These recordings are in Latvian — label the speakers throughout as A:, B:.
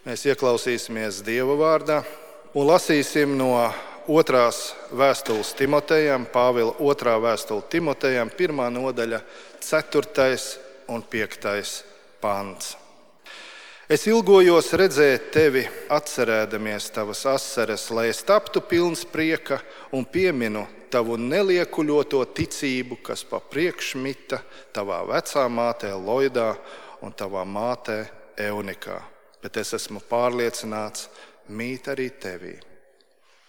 A: Mēs ieklausīsimies Dieva vārdā un lasīsim no 2. vēstules Timotejam, Pāvila 2. vēstule Timotejam, 1. nodaļa, 4. un 5. pants. Es ilgojos redzēt tevi, atcerēdamies tavas asaras, lai es taptu pilns prieka un pieminu tavu neliekuļoto ticību, kas pa priekšmita tavā vecā mātē Loidā un tavā mātē Eunikā. Bet es esmu pārliecināts, mīt arī tevī.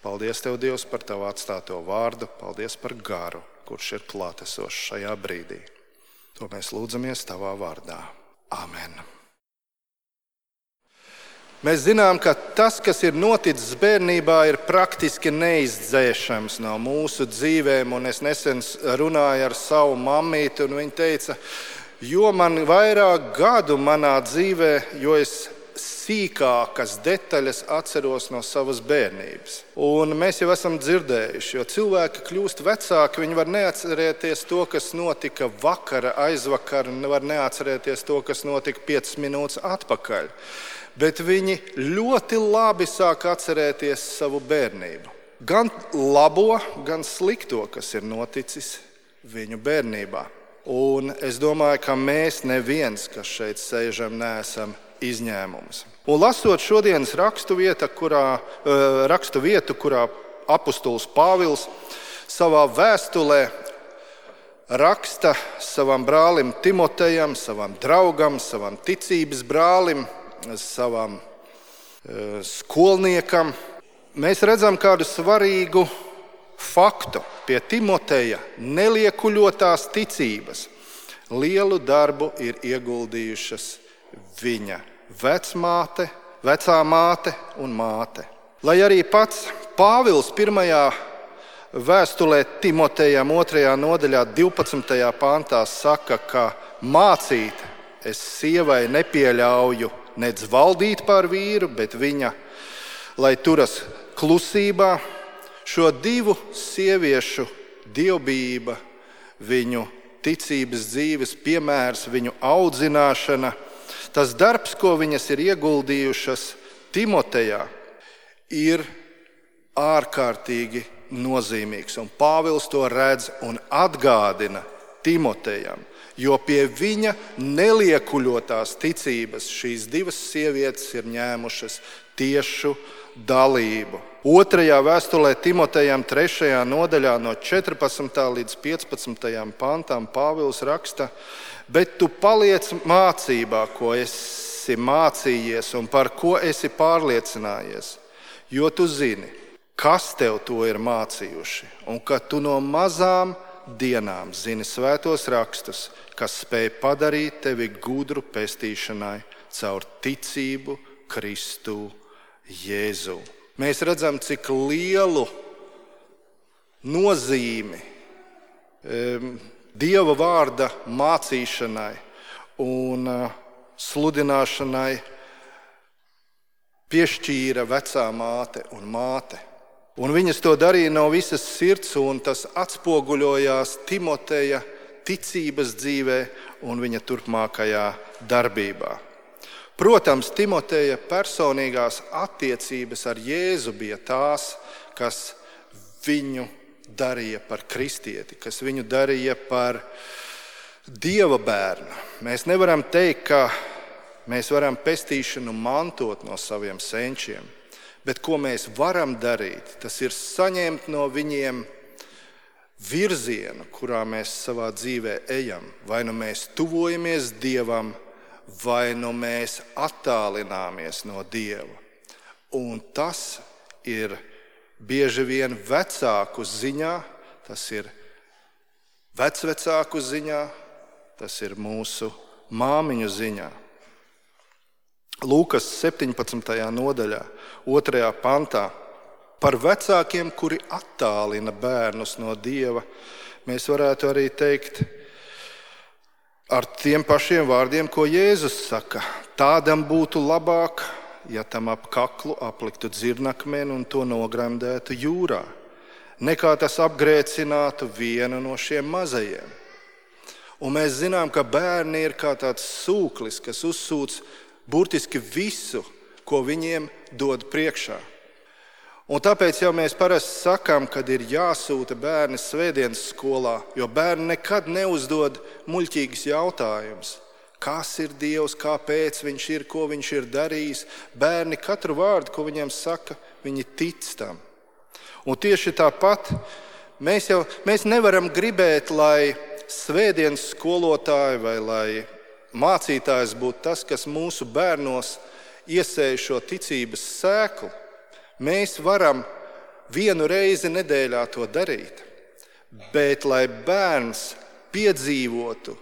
A: Paldies tev, Dievs, par tavu atstāto vārdu, paldies par garu, kurš ir klātesošs šajā brīdī. To mēs lūdzamies tavā vārdā. Amen. Mēs zinām, ka tas, kas ir noticis bērnībā, ir praktiski neizdzēšams no mūsu dzīvēm. Un es nesen runāju ar savu mammīti, un viņa teica, jo man vairāk gadu manā dzīvē, jo es sīkākas detaļas atceros no savas bērnības. Un mēs jau esam dzirdējuši, jo cilvēki kļūst vecāki, viņi var neatcerēties to, kas notika vakara, aizvakar, un var neatcerēties to, kas notika 5 minūtes atpakaļ. Bet viņi ļoti labi sāk atcerēties savu bērnību. Gan labo, gan slikto, kas ir noticis viņu bērnībā. Un es domāju, ka mēs neviens, kas šeit sēžam, neesam izņēmums. Un lasot šodienas rakstu vietu, kurā apustulis Pāvils savā vēstulē raksta savam brālim Timotejam, savam draugam, savam ticības brālim, savam skolniekam, mēs redzam kādu svarīgu faktu. Pie Timoteja neliekuļotās ticības lielu darbu ir ieguldījušas viņa vecā māte un māte. Lai arī pats Pāvils 1. vēstulē Timotejam 2. nodaļā 12. pantā saka, ka mācīt es sievai nepieļauju nedz valdīt pār vīru, bet viņa, lai turas klusībā, šo divu sieviešu dievbijība, viņu ticības dzīves piemērs, viņu audzināšana, tas darbs, ko viņas ir ieguldījušas Timotejā, ir ārkārtīgi nozīmīgs. Un Pāvils to redz un atgādina Timotejam. Jo pie viņa neliekuļotās ticības šīs divas sievietes ir ņēmušas tiešu dalību. 2. vēstulē Timotejam 3. nodaļā no 14. līdz 15. pantam Pāvils raksta, bet tu paliec mācībā, ko esi mācījies un par ko esi pārliecinājies, jo tu zini, kas tev to ir mācījuši, un ka tu no mazām dienām zini svētos rakstus, kas spēj padarīt tevi gudru pestīšanai caur ticību Kristu Jēzu. Mēs redzam, cik lielu nozīmi Dieva vārda mācīšanai un sludināšanai piešķīra vecā māte un māte. Un viņas to darīja no visas sirds, un tas atspoguļojās Timoteja ticības dzīvē un viņa turpmākajā darbībā. Protams, Timoteja personīgās attiecības ar Jēzu bija tās, kas viņu darīja par kristieti, kas viņu darīja par Dieva bērnu. Mēs nevaram teikt, ka mēs varam pestīšanu mantot no saviem senčiem, bet ko mēs varam darīt, tas ir saņemt no viņiem virzienu, kurā mēs savā dzīvē ejam. Vai nu mēs tuvojamies Dievam, vai nu mēs attālināmies no Dieva. Un tas ir bieži vien vecāku ziņā, tas ir vecvecāku ziņā, tas ir mūsu māmiņu ziņā. Lūkas 17. nodaļā, 2. pantā, par vecākiem, kuri attālina bērnus no Dieva, mēs varētu arī teikt ar tiem pašiem vārdiem, ko Jēzus saka. Tādam būtu labāk, ja tam ap kaklu apliktu dzirnakmeni un to nogremdētu jūrā, nekā tas apgrēcinātu vienu no šiem mazajiem. Un mēs zinām, ka bērni ir kā tāds sūklis, kas uzsūc burtiski visu, ko viņiem dod priekšā. Un tāpēc jau mēs parasti sakām, kad ir jāsūta bērni svētdienas skolā, jo bērni nekad neuzdod muļķīgus jautājumus. Kas ir Dievs, kāpēc viņš ir, ko viņš ir darījis? Bērni katru vārdu, ko viņiem saka, viņi tic tam. Un tieši tāpat mēs nevaram gribēt, lai svētdienas skolotāji vai lai mācītājs būtu tas, kas mūsu bērnos iesēj šo ticības sēklu. Mēs varam vienu reizi nedēļā to darīt, bet lai bērns piedzīvotu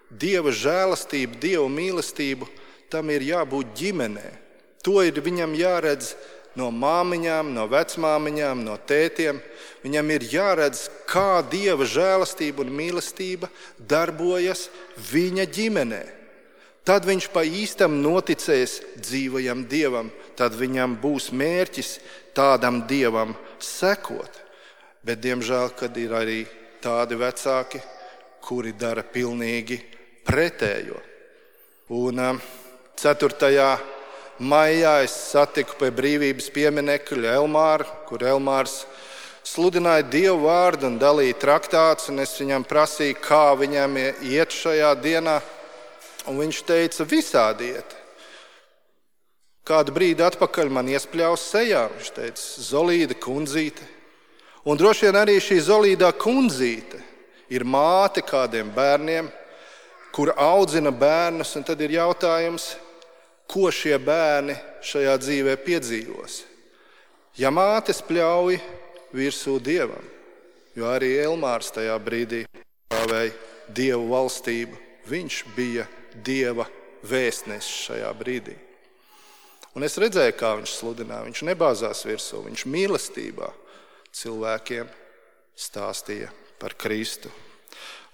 A: Dieva žēlastību, Dieva mīlestību, tam ir jābūt ģimenē. To ir viņam jāredz no māmiņām, no vecmāmiņām, no tētiem. Viņam ir jāredz, kā Dieva žēlastība un mīlestība darbojas viņa ģimenē. Tad viņš pa īstam noticēs dzīvajam Dievam, tad viņam būs mērķis tādam Dievam sekot. Bet, diemžēl, kad ir arī tādi vecāki, kuri dara pilnīgi pretējo. Un 4. maijā es satiku pie brīvības pieminekļa Elmāru, kur Elmārs sludināja Dievu vārdu un dalīja traktātus, un es viņam prasīju, kā viņam iet šajā dienā. Un viņš teica, visādi iet. Kādu brīdi atpakaļ man iespļaus sejā. Viņš teica, Zolīda kundzīte. Un droši vien arī šī Zolīdā kundzīte ir māte kādiem bērniem, kur audzina bērnus, un tad ir jautājums, ko šie bērni šajā dzīvē piedzīvos. Ja mātes pļauj virsū Dievam, jo arī Elmārs tajā brīdī stāvēja Dievu valstību, viņš bija Dieva vēstnesis šajā brīdī. Un es redzēju, kā viņš sludināja. Viņš nebāzās virsū, viņš mīlestībā cilvēkiem stāstīja par Kristu.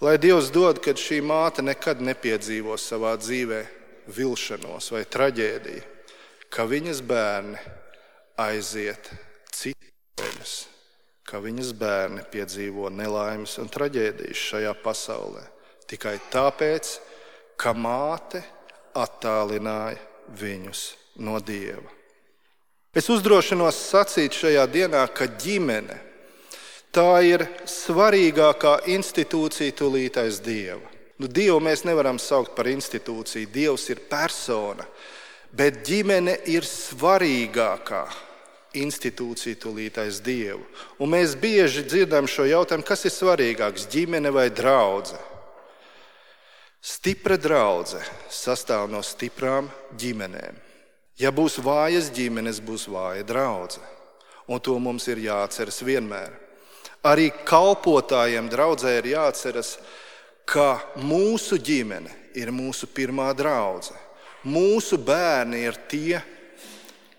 A: Lai Dievs dod, kad šī māte nekad nepiedzīvo savā dzīvē vilšanos vai traģēdiju, ka viņas bērni aiziet citus ceļus, ka viņas bērni piedzīvo nelaimes un traģēdijas šajā pasaulē. Tikai tāpēc, ka māte attālināja viņus no Dieva. Es uzdrošinos sacīt šajā dienā, ka ģimene tā ir svarīgākā institūcija tūlīt aiz Dieva. Dievu mēs nevaram saukt par institūciju, Dievs ir persona, bet ģimene ir svarīgākā institūcija tūlīt aiz Dievu. Un mēs bieži dzirdam šo jautājumu, kas ir svarīgāks, ģimene vai draudze? Stipra draudze sastāv no stiprām ģimenēm. Ja būs vājas ģimenes, būs vāja draudze. Un to mums ir jāatceras vienmēr. Arī kalpotājiem draudzē ir jāatceras, ka mūsu ģimene ir mūsu pirmā draudze. Mūsu bērni ir tie,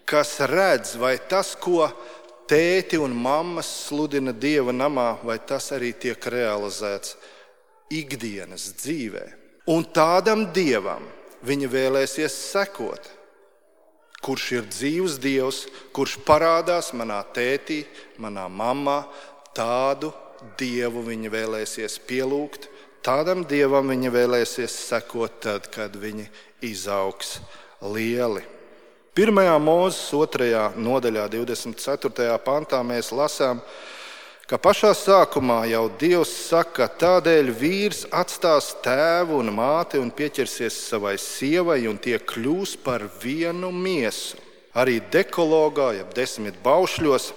A: kas redz, vai tas, ko tēti un mammas sludina Dieva namā, vai tas arī tiek realizēts ikdienas dzīvē. Un tādam Dievam viņi vēlēsies sekot, kurš ir dzīvs Dievs, kurš parādās manā tētī, manā mammā, tādu Dievu viņi vēlēsies pielūgt, tādam Dievam viņi vēlēsies sekot tad, kad viņi izaugs lieli. 1. Mūzes 2. nodaļā 24. pantā mēs lasām, ka pašā sākumā jau Dievs saka, tādēļ vīrs atstās tēvu un māti un pieķersies savai sievai un tie kļūs par vienu miesu. Arī dekologā, jeb 10 baušļos,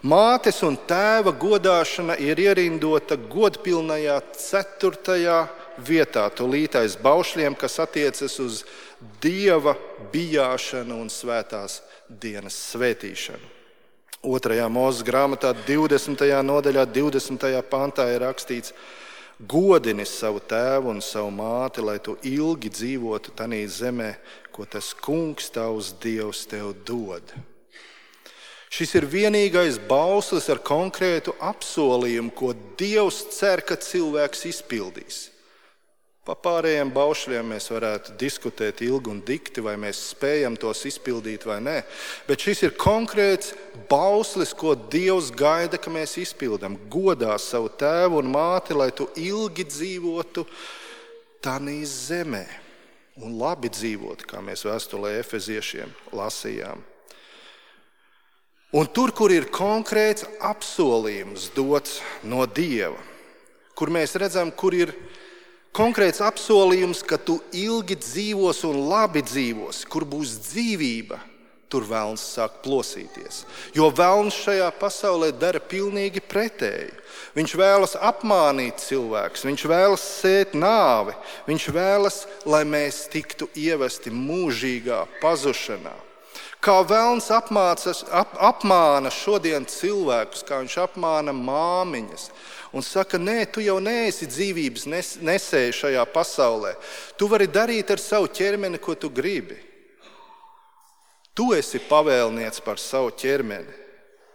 A: mātes un tēva godāšana ir ierindota godpilnajā 4. vietā, tūlīt aiz baušļiem, kas attiecas uz Dieva bijāšanu un svētās dienas svētīšanu. 2. Mūzes grāmatā 20. nodaļā 20. pantā ir rakstīts: godini savu tēvu un savu māti, lai tu ilgi dzīvotu tanī zemē, ko tas kungs tavs Dievs tev dod. Šis ir vienīgais bauslis ar konkrētu apsolījumu, ko Dievs cer, ka cilvēks izpildīs. Pa pārējiem baušļiem mēs varētu diskutēt ilgi un dikti, vai mēs spējam tos izpildīt vai nē. Bet šis ir konkrēts bauslis, ko Dievs gaida, ka mēs izpildam. Godā savu tēvu un māti, lai tu ilgi dzīvotu tanī zemē. Un labi dzīvot, kā mēs vēstulē Efeziešiem lasījām. Un tur, kur ir konkrēts apsolījums dots no Dieva, kur mēs redzam, kur ir konkrēts apsolījums, ka tu ilgi dzīvos un labi dzīvos, kur būs dzīvība, tur velns sāk plosīties. Jo velns šajā pasaulē dara pilnīgi pretēji. Viņš vēlas apmānīt cilvēkus, viņš vēlas sēt nāvi, viņš vēlas, lai mēs tiktu ievesti mūžīgā pazušanā. Kā velns apmāna šodien cilvēkus, kā viņš apmāna māmiņas un saka, nē, tu jau neesi dzīvības nesēji šajā pasaulē. Tu vari darīt ar savu ķermeni, ko tu gribi. Tu esi pavēlnieks par savu ķermeni.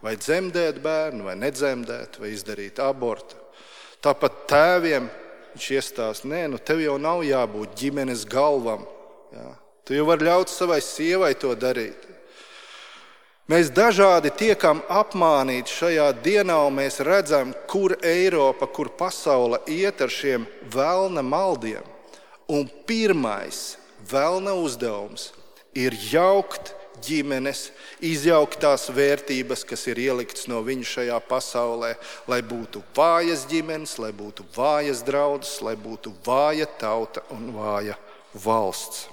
A: Vai dzemdēt bērnu, vai nedzemdēt, vai izdarīt abortu. Tāpat tēviem viņš iestāsta, nē, tev jau nav jābūt ģimenes galvam. Jā. Tu jau vari ļaut savai sievai to darīt. Mēs dažādi tiekam apmānīti šajā dienā, un mēs redzam, kur Eiropa, kur pasaule iet ar šiem velna maldiem. Un pirmais velna uzdevums ir jaukt ģimenes, izjaukt tās vērtības, kas ir ieliktas no viņu šajā pasaulē, lai būtu vājas ģimenes, lai būtu vājas draudzes, lai būtu vāja tauta un vāja valsts.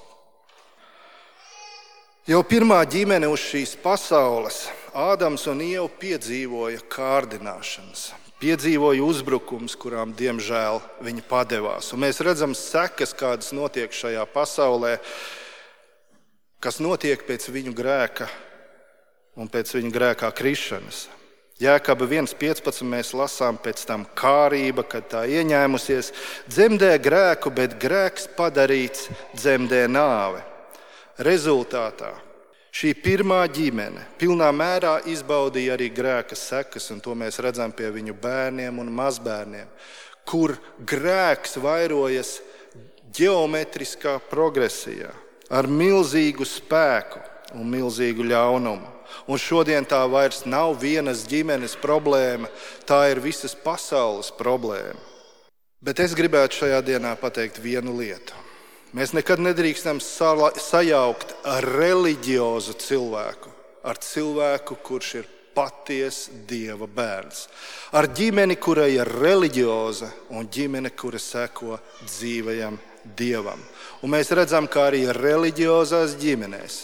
A: Jau pirmā ģimene uz šīs pasaules, Ādams un Ieva, piedzīvoja kārdināšanas, piedzīvoja uzbrukums, kurām, diemžēl, viņi padevās. Un mēs redzam sekas, kādas notiek šajā pasaulē, kas notiek pēc viņu grēka un pēc viņu grēkā krišanas. Jēkaba 1.15 mēs lasām pēc tam kārība, kad tā ieņēmusies, dzemdē grēku, bet grēks padarīts dzemdē nāvi. Rezultātā šī pirmā ģimene pilnā mērā izbaudīja arī grēka sekas, un to mēs redzam pie viņu bērniem un mazbērniem, kur grēks vairojas ģeometriskā progresijā ar milzīgu spēku un milzīgu ļaunumu. Un šodien tā vairs nav vienas ģimenes problēma, tā ir visas pasaules problēma. Bet es gribētu šajā dienā pateikt vienu lietu. Mēs nekad nedrīkstam sajaukt reliģiozu cilvēku ar cilvēku, kurš ir patiesa Dieva bērns. Ar ģimeni, kurai ir reliģioza, un ģimene, kura seko dzīvajam Dievam. Un mēs redzam, kā arī reliģiozās ģimenēs,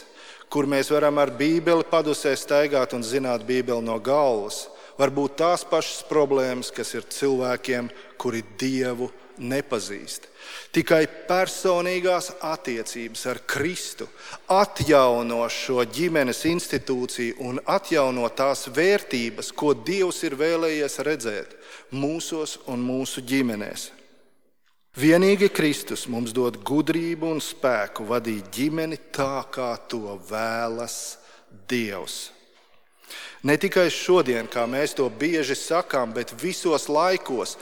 A: kur mēs varam ar Bībeli padusē staigāt un zināt Bībeli no galvas, var būt tās pašas problēmas, kas ir cilvēkiem, kuri Dievu nepazīst. Tikai personīgās attiecības ar Kristu atjauno šo ģimenes institūciju un atjauno tās vērtības, ko Dievs ir vēlējies redzēt mūsos un mūsu ģimenēs. Vienīgi Kristus mums dod gudrību un spēku vadīt ģimeni tā, kā to vēlas Dievs. Ne tikai šodien, kā mēs to bieži sakām, bet visos laikos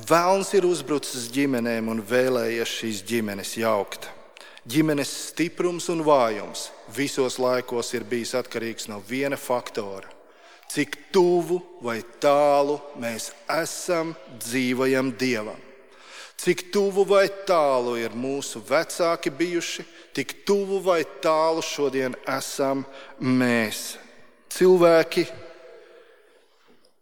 A: velns ir uzbrucis ģimenēm un vēlējies šīs ģimenes jaukt. Ģimenes stiprums un vājums visos laikos ir bijis atkarīgs no viena faktora. Cik tuvu vai tālu mēs esam dzīvajam Dievam. Cik tuvu vai tālu ir mūsu vecāki bijuši, tik tuvu vai tālu šodien esam mēs. Cilvēki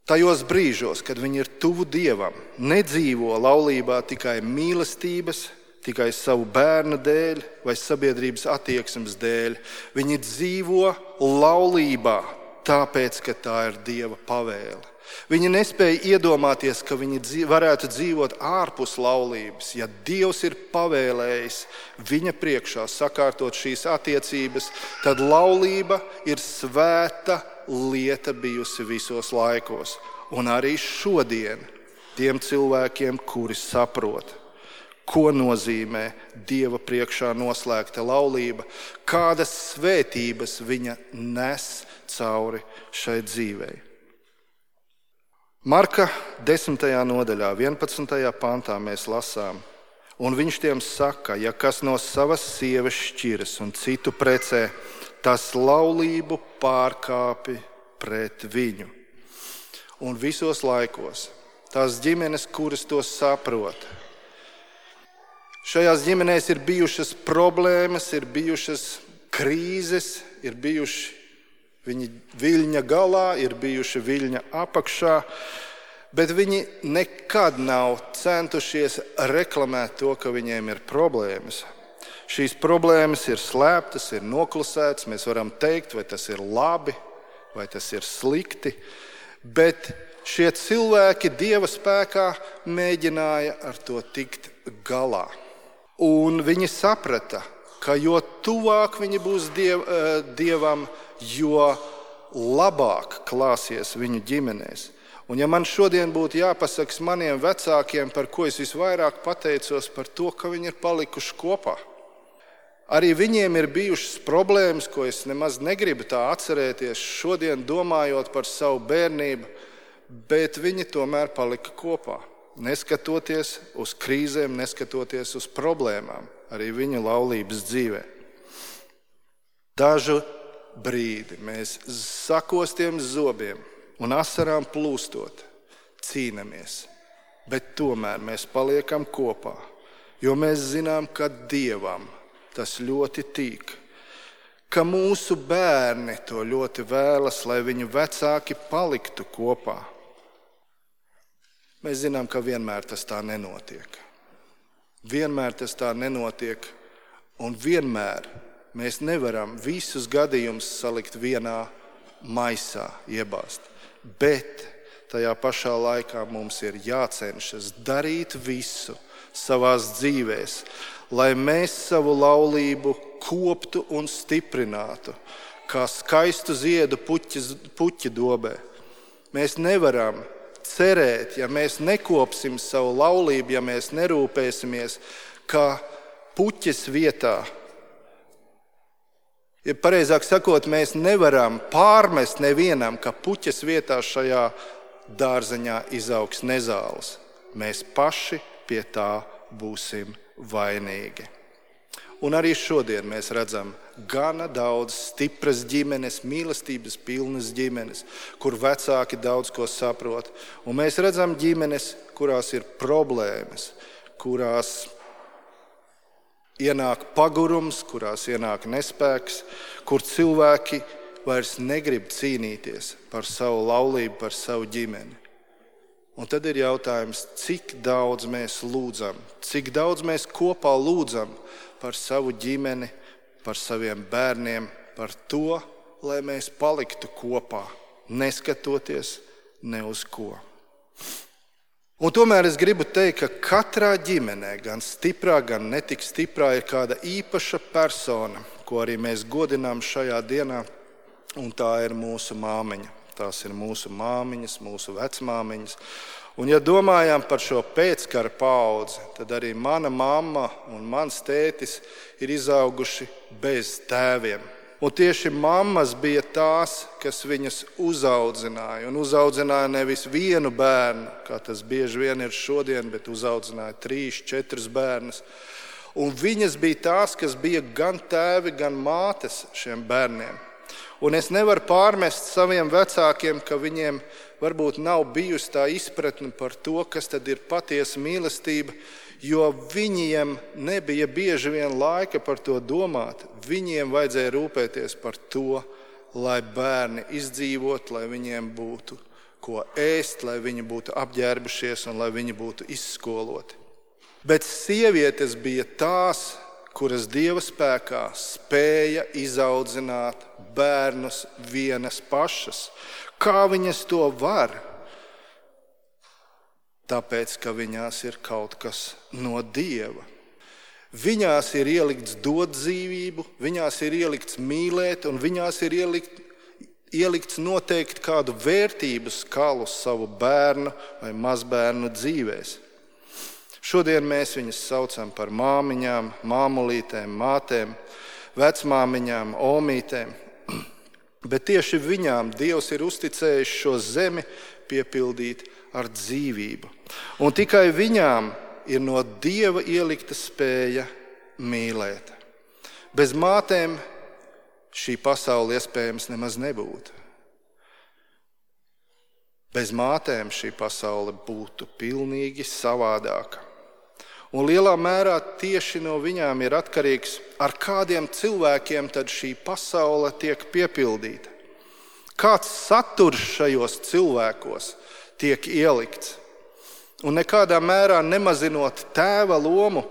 A: tajos brīžos, kad viņi ir tuvu Dievam, nedzīvo laulībā tikai mīlestības, tikai savu bērnu dēļ vai sabiedrības attieksmes dēļ. Viņi dzīvo laulībā, tāpēc, ka tā ir Dieva pavēle. Viņi nespēja iedomāties, ka viņi varētu dzīvot ārpus laulības. Ja Dievs ir pavēlējis viņa priekšā sakārtot šīs attiecības, tad laulība ir svēta lieta bijusi visos laikos. Un arī šodien tiem cilvēkiem, kuri saprot, ko nozīmē Dieva priekšā noslēgta laulība, kādas svētības viņa nes cauri šai dzīvei. Marka 10. nodaļā, 11. pantā mēs lasām, un viņš tiem saka, ja kas no savas sievas šķiras un citu precē, tas laulību pārkāpi pret viņu. Un visos laikos tās ģimenes, kuras to saprot, šajās ģimenēs ir bijušas problēmas, ir bijušas krīzes, ir bijuši Viņi viļņa galā ir bijuši viļņa apakšā, bet viņi nekad nav centušies reklamēt to, ka viņiem ir problēmas. Šīs problēmas ir slēptas, ir noklusētas. Mēs varam teikt, vai tas ir labi, vai tas ir slikti, bet šie cilvēki Dieva spēkā mēģināja ar to tikt galā. Un viņi saprata, ka jo tuvāk viņi būs Dievam, jo labāk klāsies viņu ģimenēs. Un ja man šodien būtu jāpasaka maniem vecākiem, par ko es visvairāk pateicos, par to, ka viņi ir palikuši kopā. Arī viņiem ir bijušas problēmas, ko es nemaz negribu tā atcerēties šodien, domājot par savu bērnību, bet viņi tomēr palika kopā. Neskatoties uz krīzēm, neskatoties uz problēmām, arī viņa laulības dzīvē. Dažu brīdi mēs sakostiem zobiem un asarām plūstot cīnāmies, bet tomēr mēs paliekam kopā, jo mēs zinām, ka Dievam tas ļoti tīk, ka mūsu bērni to ļoti vēlas, lai viņu vecāki paliktu kopā. Mēs zinām, ka vienmēr tas tā nenotiek. Vienmēr tas tā nenotiek, un vienmēr mēs nevaram visus gadījumus salikt vienā maisā, iebāzt. Bet tajā pašā laikā mums ir jācenšas darīt visu savās dzīvēs, lai mēs savu laulību koptu un stiprinātu, kā skaistu ziedu puķa dobē. Mēs nevaram cerēt, ja mēs nekopsim savu laulību, ja mēs nerūpēsimies, ka puķes vietā, ja pareizāk sakot, mēs nevaram pārmest nevienam, ka puķes vietā šajā dārzeņā izaugs nezāles. Mēs paši pie tā būsim vainīgi. Un arī šodien mēs redzam gana daudz stipras ģimenes, mīlestības pilnas ģimenes, kur vecāki daudz ko saprot. Un mēs redzam ģimenes, kurās ir problēmas, kurās ienāk pagurums, kurās ienāk nespēks, kur cilvēki vairs negrib cīnīties par savu laulību, par savu ģimeni. Un tad ir jautājums, cik daudz mēs lūdzam, cik daudz mēs kopā lūdzam par savu ģimeni, par saviem bērniem, par to, lai mēs paliktu kopā, neskatoties ne uz ko. Un tomēr es gribu teikt, ka katrā ģimenē, gan stiprā, gan netik stiprā, ir kāda īpaša persona, ko arī mēs godinām šajā dienā, un tā ir mūsu māmiņa. Tās ir mūsu māmiņas, mūsu vecmāmiņas. Un ja domājam par šo pēckara paudzi, tad arī mana mamma un mans tētis ir izauguši bez tēviem. Un tieši mammas bija tās, kas viņas uzaudzināja. Un uzaudzināja nevis vienu bērnu, kā tas bieži vien ir šodien, bet uzaudzināja 3, 4 bērnus. Un viņas bija tās, kas bija gan tēvi, gan mātes šiem bērniem. Un es nevaru pārmest saviem vecākiem, ka viņiem varbūt nav bijusi tā izpratne par to, kas tad ir patiesa mīlestība, jo viņiem nebija bieži vien laika par to domāt. Viņiem vajadzēja rūpēties par to, lai bērni izdzīvot, lai viņiem būtu ko ēst, lai viņi būtu apģērbušies un lai viņi būtu izskoloti. Bet sievietes bija tās, kuras Dieva spēkā spēja izaudzināt bērnus vienas pašas. Kā viņas to var? Tāpēc, ka viņās ir kaut kas no Dieva. Viņās ir ielikts dot dzīvību, viņās ir ielikts mīlēt, un viņās ir ielikts noteikt kādu vērtību skalu savu bērnu vai mazbērnu dzīvēs. Šodien mēs viņus saucam par māmiņām, māmulītēm, mātēm, vecmāmiņām, omītēm. Bet tieši viņām Dievs ir uzticējis šo zemi piepildīt ar dzīvību. Un tikai viņām ir no Dieva ielikta spēja mīlēt. Bez mātēm šī pasaule iespējams nemaz nebūtu. Bez mātēm šī pasaule būtu pilnīgi savādāka. Un lielā mērā tieši no viņām ir atkarīgs, ar kādiem cilvēkiem tad šī pasaule tiek piepildīta. kāds saturs šajos cilvēkos tiek ielikts. Un nekādā mērā nemazinot tēva lomu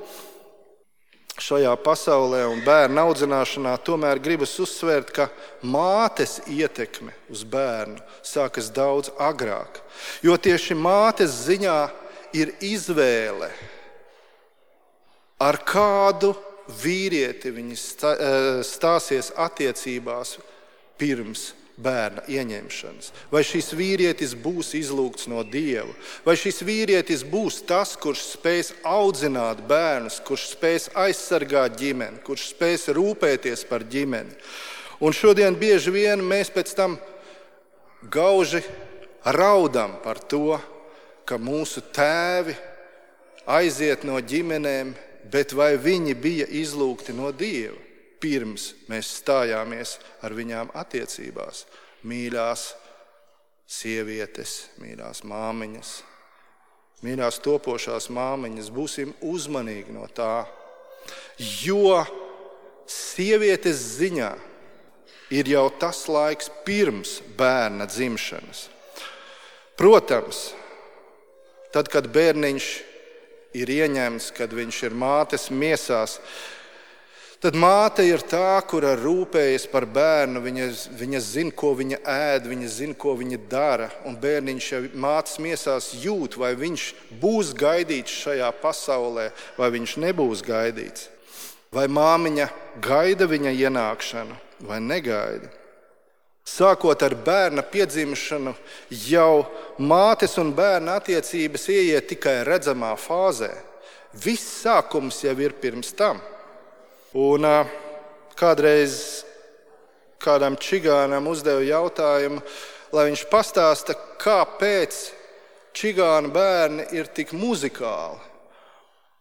A: šajā pasaulē un bērnu audzināšanā, tomēr gribas uzsvērt, ka mātes ietekme uz bērnu sākas daudz agrāk. Jo tieši mātes ziņā ir izvēle, ar kādu vīrieti viņi stāsies attiecībās pirms bērna ieņemšanas. Vai šis vīrietis būs izlūgts no Dieva, vai šis vīrietis būs tas, kurš spēs audzināt bērnus, kurš spēs aizsargāt ģimeni, kurš spēs rūpēties par ģimeni. Un šodien bieži vien mēs pēc tam gauži raudam par to, ka mūsu tēvi aiziet no ģimenēm, bet vai viņi bija izlūgti no Dieva, pirms mēs stājāmies ar viņām attiecībās? Mīļās sievietes, mīļās māmiņas, mīļās topošās māmiņas, būsim uzmanīgi no tā, jo sievietes ziņā ir jau tas laiks pirms bērna dzimšanas. Protams, tad, kad bērniņš ir ieņemts, kad viņš ir mātes miesās, tad māte ir tā, kura rūpējas par bērnu. Viņa zina, ko viņa ēd, viņa zina, ko viņa dara. Un bērniņš jau mātes miesās jūt, vai viņš būs gaidīts šajā pasaulē, vai viņš nebūs gaidīts. Vai māmiņa gaida viņa ienākšanu, vai negaida. Sākot ar bērna piedzimšanu, jau mātes un bērna attiecības ieiet tikai redzamā fāzē. Viss sākums jau ir pirms tam. Un kādreiz kādam čigānam uzdevu jautājumu, lai viņš pastāsta, kāpēc čigānu bērni ir tik muzikāli.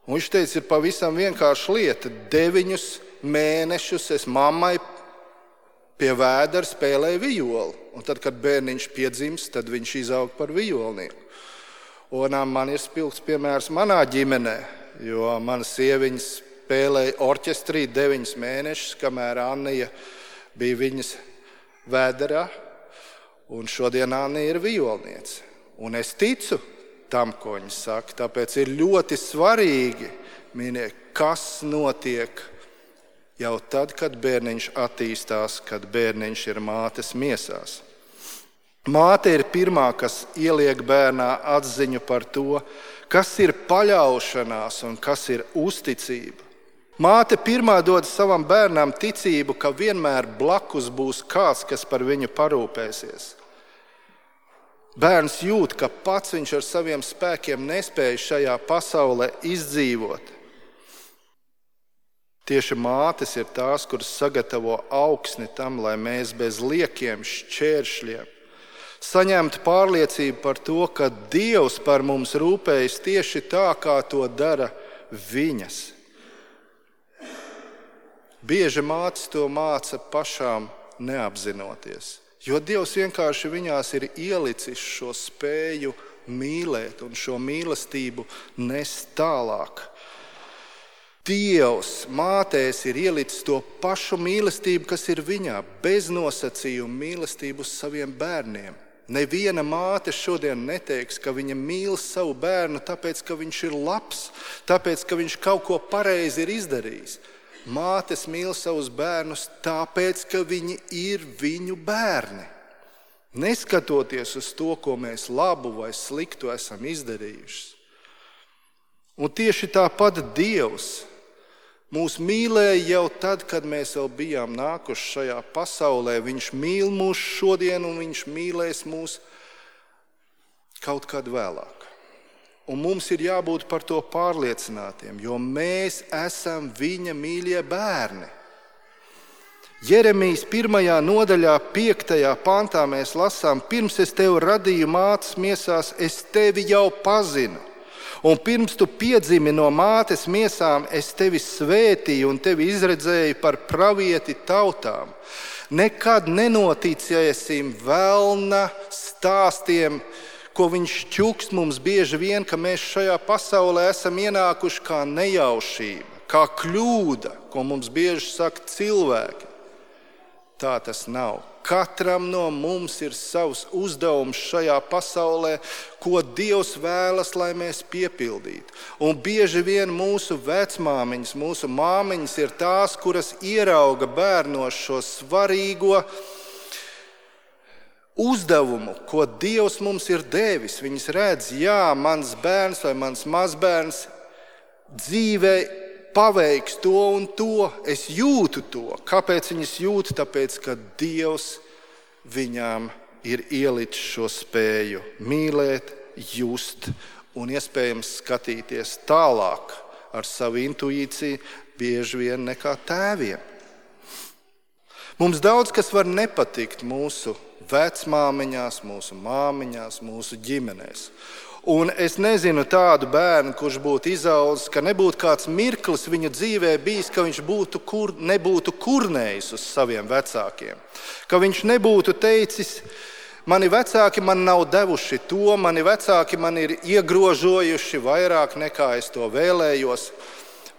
A: Un viņš teica, ir pavisam vienkārša lieta. 9 mēnešus es mammai pie vēdera spēlēju vijoli. Un tad, kad bērniņš piedzimst, tad viņš izaug par vijolnieku. Un man ir spilgts piemērs manā ģimenē, jo mana sieviņa spēlēja orķestrī 9 mēnešus, kamēr Annija bija viņas vēderā. Un šodien Annija ir vijolniece. Un es ticu tam, ko viņa saka. Tāpēc ir ļoti svarīgi, mīļie, kas notiek jau tad, kad bērniņš attīstās, kad bērniņš ir mātes miesās. Māte ir pirmā, kas ieliek bērnā atziņu par to, kas ir paļaušanās un kas ir uzticība. Māte pirmā dod savam bērnam ticību, ka vienmēr blakus būs kāds, kas par viņu parūpēsies. Bērns jūt, ka pats viņš ar saviem spēkiem nespēja šajā pasaulē izdzīvot. Tieši mātes ir tās, kuras sagatavo augsni tam, lai mēs bez liekiem šķēršļiem saņemtu pārliecību par to, ka Dievs par mums rūpējas tieši tā, kā to dara viņas. Bieži mātes to māca pašām neapzinoties, jo Dievs vienkārši viņās ir ielicis šo spēju mīlēt un šo mīlestību nest tālāk. Dievs mātēs ir ielicis to pašu mīlestību, kas ir viņā, bez nosacījuma mīlestību uz saviem bērniem. Neviena māte šodien neteiks, ka viņa mīl savu bērnu, tāpēc, ka viņš ir labs, tāpēc, ka viņš kaut ko pareizi ir izdarījis. Mātes mīl savus bērnus tāpēc, ka viņi ir viņu bērni. Neskatoties uz to, ko mēs labu vai sliktu esam izdarījuši. Un tieši tāpat Dievs mūs mīlēja jau tad, kad mēs vēl bijām nākuši šajā pasaulē. Viņš mīl mūs šodien un viņš mīlēs mūs kaut kad vēlāk. Un mums ir jābūt par to pārliecinātiem, jo mēs esam viņa mīļie bērni. Jeremijas 1. nodaļā 5. pantā mēs lasām: pirms es tevi radīju mātes miesās, es tevi jau pazinu. Un pirms tu piedzimi no mātes miesām, es tevi svētīju un tevi izredzēju par pravieti tautām. Nekad nenoticēsim velna stāstiem, ko viņš čukst mums bieži vien, ka mēs šajā pasaulē esam ienākuši kā nejaušība, kā kļūda, ko mums bieži saka cilvēki. Tā tas nav. katram no mums ir savs uzdevums šajā pasaulē, ko Dievs vēlas, lai mēs piepildītu. Un bieži vien mūsu vecmāmiņas, mūsu māmiņas ir tās, kuras ierauga bērnos šo svarīgo uzdevumu, ko Dievs mums ir devis. Viņas redz, jā, mans bērns vai mans mazbērns dzīvē paveiks to un to, es jūtu to. Kāpēc viņas jūtu? Tāpēc, ka Dievs viņām ir ielicis šo spēju mīlēt, just un iespējams skatīties tālāk ar savu intuīciju bieži vien nekā tēviem. Mums daudz kas var nepatikt mūsu vecmāmiņās, mūsu māmiņās, mūsu ģimenēs. Un es nezinu tādu bērnu, kurš būtu izaudzis, ka nebūtu kāds mirklis viņa dzīvē bijis, ka viņš nebūtu kurnējis uz saviem vecākiem. Ka viņš nebūtu teicis, mani vecāki man nav devuši to, mani vecāki man ir iegrožojuši vairāk nekā es to vēlējos.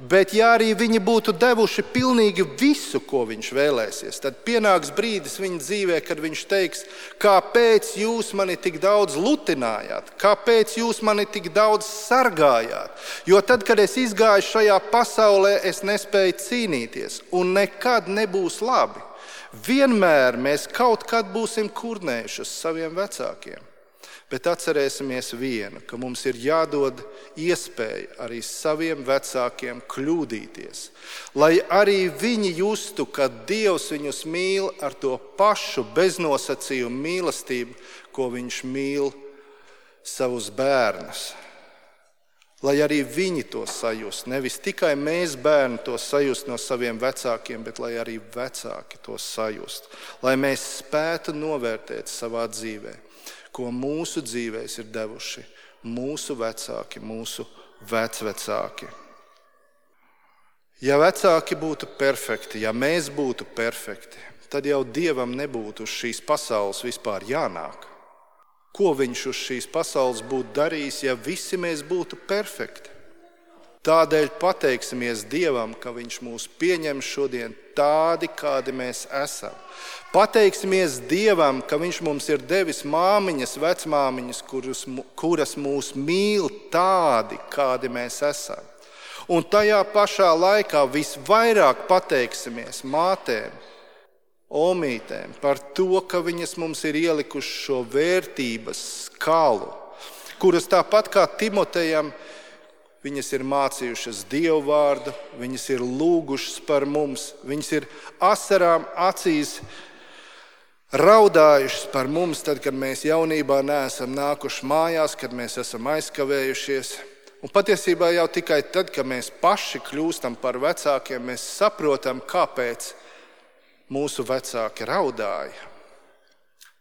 A: Bet ja arī viņi būtu devuši pilnīgi visu, ko viņš vēlēsies, tad pienāks brīdis viņa dzīvē, kad viņš teiks, kāpēc jūs mani tik daudz lutinājāt, kāpēc jūs mani tik daudz sargājāt. Jo tad, kad es izgāju šajā pasaulē, es nespēju cīnīties un nekad nebūs labi. Vienmēr mēs kaut kad būsim kurnējuši uz saviem vecākiem. Bet atcerēsimies vienu, ka mums ir jādod iespēja arī saviem vecākiem kļūdīties, lai arī viņi justu, ka Dievs viņus mīl ar to pašu beznosacījumu mīlestību, ko viņš mīl savus bērnus. Lai arī viņi to sajust, nevis tikai mēs bērni to sajust no saviem vecākiem, bet lai arī vecāki to sajust, lai mēs spētu novērtēt savā dzīvē, ko mūsu dzīvēs ir devuši mūsu vecāki, mūsu vecvecāki. Ja vecāki būtu perfekti, ja mēs būtu perfekti, tad jau Dievam nebūtu uz šīs pasaules vispār jānāk. Ko viņš uz šīs pasaules būtu darījis, ja visi mēs būtu perfekti? Tādēļ pateiksimies Dievam, ka viņš mūs pieņem šodien tādi, kādi mēs esam. Pateiksimies Dievam, ka viņš mums ir devis māmiņas, vecmāmiņas, kuras mūs mīl tādi, kādi mēs esam. Un tajā pašā laikā visvairāk pateiksimies mātēm, omītēm par to, ka viņas mums ir ielikuši šo vērtības skalu, kuras tāpat kā Timotejam, viņas ir mācījušas Dievu vārdu, viņas ir lūgušas par mums, viņas ir asarām acīs raudājušas par mums, tad, kad mēs jaunībā neesam nākuši mājās, kad mēs esam aizkavējušies. Un patiesībā jau tikai tad, kad mēs paši kļūstam par vecākiem, mēs saprotam, kāpēc mūsu vecāki raudāja.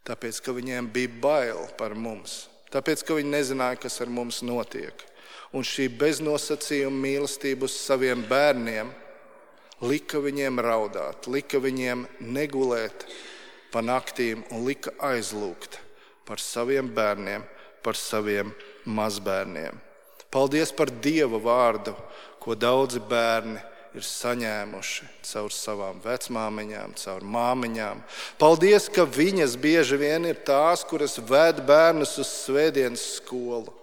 A: Tāpēc, ka viņiem bija bail par mums. Tāpēc, ka viņi nezināja, kas ar mums notiek. Un šī beznosacījuma mīlestība uz saviem bērniem lika viņiem raudāt, lika viņiem negulēt pa naktīm un lika aizlūgt par saviem bērniem, par saviem mazbērniem. Paldies par Dieva vārdu, ko daudzi bērni ir saņēmuši caur savām vecmāmiņām, caur māmiņām. Paldies, ka viņas bieži vien ir tās, kuras ved bērnus uz svētdienas skolu.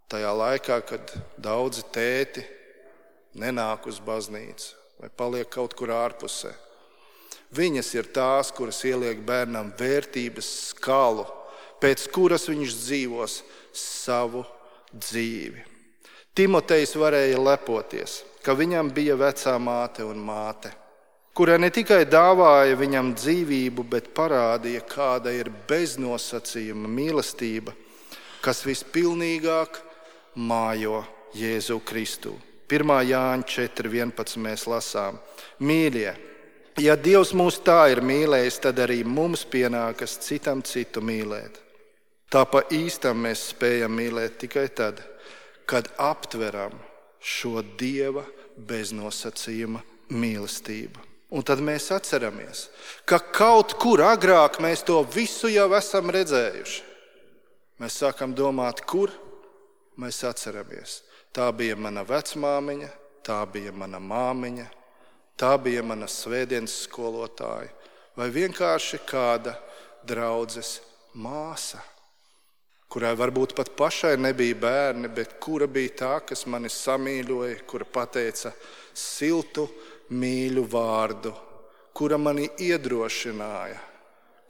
A: Tajā laikā, kad daudzi tēti nenāk uz baznīcu vai paliek kaut kur ārpusē. Viņas ir tās, kuras ieliek bērnam vērtības skalu, pēc kuras viņš dzīvos savu dzīvi. Timotejs varēja lepoties, ka viņam bija vecā māte un māte, kura ne tikai dāvāja viņam dzīvību, bet parādīja, kāda ir beznosacījuma mīlestība, kas vispilnīgāk mājo Jēzu Kristu. 1. Jāņa 4.11 mēs lasām. Mīļie, ja Dievs mūs tā ir mīlējis, tad arī mums pienākas citam citu mīlēt. Tā pa īstam mēs spējam mīlēt tikai tad, kad aptveram šo Dieva beznosacījuma mīlestību. Un tad mēs atceramies, ka kaut kur agrāk mēs to visu jau esam redzējuši. Mēs sākam domāt, kur? Mēs atceramies. Tā bija mana vecmāmiņa, tā bija mana māmiņa, tā bija mana svētdienas skolotāja, vai vienkārši kāda draudzes māsa, kurai varbūt pat pašai nebija bērni, bet kura bija tā, kas mani samīļoja, kura pateica siltu, mīļu vārdu, kura mani iedrošināja,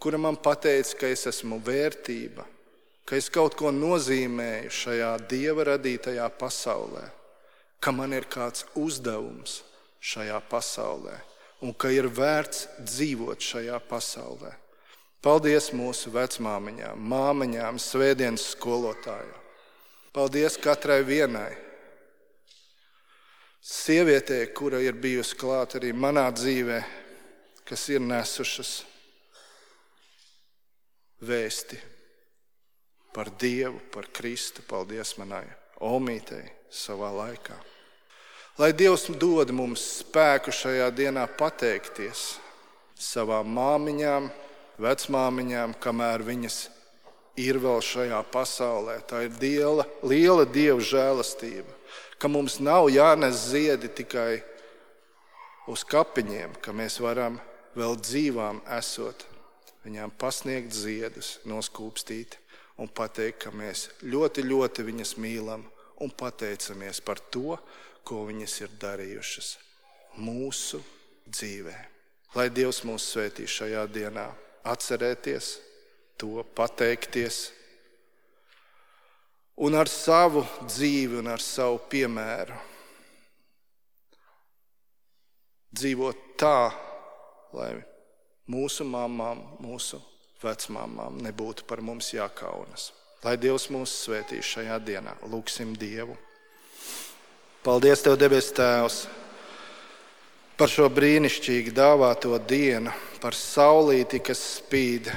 A: kura man pateica, ka es esmu vērtība, ka es kaut ko nozīmēju šajā Dieva radītajā pasaulē, ka man ir kāds uzdevums šajā pasaulē un ka ir vērts dzīvot šajā pasaulē. Paldies mūsu vecmāmiņām, māmiņām, svētdienas skolotājām. Paldies katrai vienai sievietei, kura ir bijusi klāt arī manā dzīvē, kas ir nesušas vēsti par Dievu, par Kristu. Paldies manai omītei savā laikā. Lai Dievs dod mums spēku šajā dienā pateikties savām māmiņām, vecmāmiņām, kamēr viņas ir vēl šajā pasaulē. Tā ir liela Dieva žēlastība, ka mums nav jānes ziedi tikai uz kapiņiem, ka mēs varam vēl dzīvām esot viņām pasniegt ziedus, noskūpstīt un pateikt, ka mēs ļoti, ļoti viņas mīlam un pateicamies par to, ko viņas ir darījušas mūsu dzīvē. Lai Dievs mūs svētī šajā dienā, atcerēties to, pateikties un ar savu dzīvi un ar savu piemēru dzīvot tā, lai mūsu mamām, mūsu vecmāmām nebūtu par mums jākaunas. Lai Dievs mūs svētī šajā dienā. Lūksim Dievu. Paldies Tev, debes Tēvs, par šo brīnišķīgi dāvāto dienu, par saulīti, kas spīd,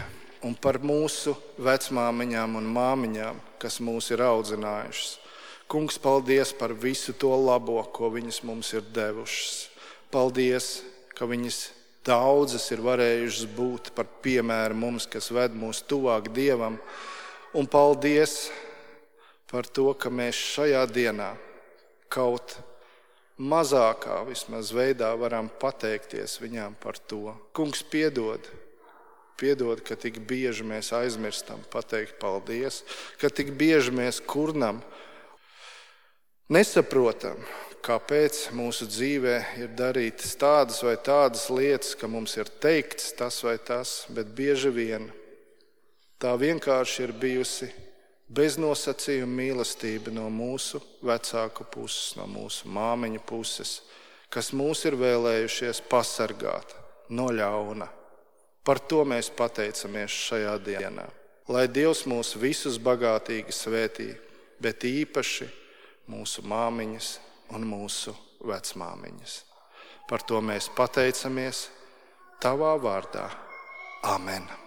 A: un par mūsu vecmāmiņām un māmiņām, kas mūs ir audzinājušas. Kungs, paldies par visu to labo, ko viņas mums ir devušas. Paldies, ka viņas daudzas ir varējušas būt par piemēru mums, kas ved mūs tuvāk Dievam. Un paldies par to, ka mēs šajā dienā kaut mazākā vismaz veidā varam pateikties viņām par to. Kungs, piedod, ka tik bieži mēs aizmirstam pateikt paldies, ka tik bieži mēs kurnam, nesaprotam, kāpēc mūsu dzīvē ir darītas tādas vai tādas lietas, ka mums ir teikts tas vai tas, bet bieži vien tā vienkārši ir bijusi beznosacījuma mīlestība no mūsu vecāku puses, no mūsu māmiņu puses, kas mūs ir vēlējušies pasargāt no ļauna. Par to mēs pateicamies šajā dienā. Lai Dievs mūs visus bagātīgi svētī, bet īpaši mūsu māmiņas un mūsu vecmāmiņas. Par to mēs pateicamies Tavā vārdā. Amen.